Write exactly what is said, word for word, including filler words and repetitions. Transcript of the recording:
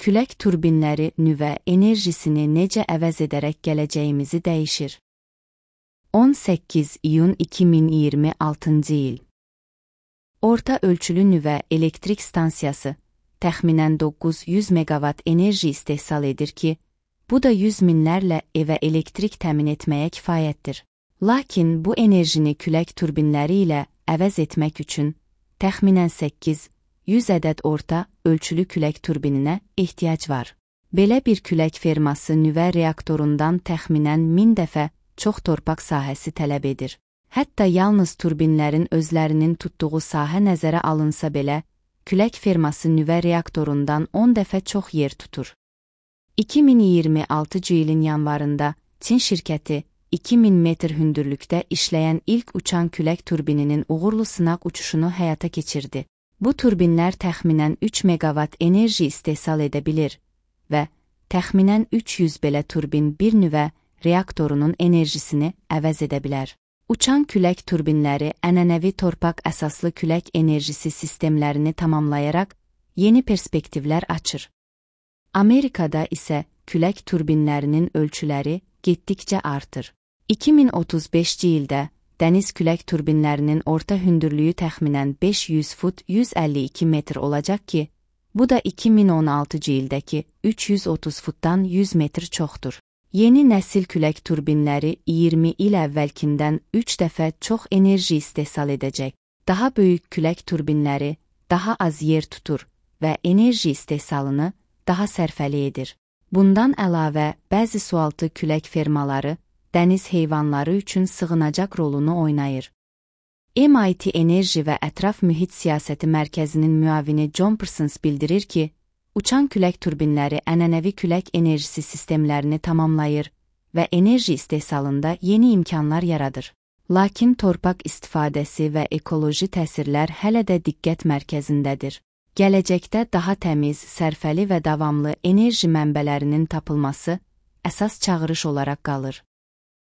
külək turbinləri nüvə enerjisini necə əvəz edərək gələcəyimizi dəyişir? on səkkiz iyun iki min iyirmi altıncı il. Orta ölçülü nüvə elektrik stansiyası təxminən doqquz yüz meqavat enerji istehsal edir ki, bu da yüz minlərlə evə elektrik təmin etməyə kifayətdir. Lakin bu enerjini külək turbinləri ilə əvəz etmək üçün təxminən səkkiz yüz ədəd orta ölçülü külək turbininə ehtiyac var. Belə bir külək ferması nüvə reaktorundan təxminən min dəfə çox torpaq sahəsi tələb edir. Hətta yalnız turbinlərin özlərinin tutduğu sahə nəzərə alınsa belə, külək ferması nüvə reaktorundan on dəfə çox yer tutur. iki min iyirmi altıncı ilin yanvarında Çin şirkəti iki min metr hündürlükdə işləyən ilk uçan külək turbininin uğurlu sınaq uçuşunu həyata keçirdi. Bu turbinlər təxminən üç meqavat enerji istehsal edə bilir və təxminən üç yüz belə turbin bir nüvə reaktorunun enerjisini əvəz edə bilər. Uçan külək turbinləri ənənəvi torpaq əsaslı külək enerjisi sistemlərini tamamlayaraq yeni perspektivlər açır. Amerikada isə külək turbinlərinin ölçüləri getdikcə artır. iki min otuz beşinci ildə dəniz külək turbinlərinin orta hündürlüyü təxminən beş yüz fut yüz əlli iki metr olacaq ki, bu da iki min on altıncı ildəki üç yüz otuz futdan yüz metr çoxdur. Yeni nəsil külək turbinləri iyirmi il əvvəlkindən üç dəfə çox enerji istehsal edəcək. Daha böyük külək turbinləri daha az yer tutur və enerji istehsalını daha sərfəli edir. Bundan əlavə, bəzi sualtı külək fermaları dəniz heyvanları üçün sığınacaq rolunu oynayır. M I T Enerji və Ətraf Mühit Siyasəti Mərkəzinin müavini John Parsons bildirir ki, uçan külək turbinləri ənənəvi külək enerjisi sistemlərini tamamlayır və enerji istehsalında yeni imkanlar yaradır. Lakin torpaq istifadəsi və ekoloji təsirlər hələ də diqqət mərkəzindədir. Gələcəkdə daha təmiz, sərfəli və davamlı enerji mənbələrinin tapılması əsas çağırış olaraq qalır.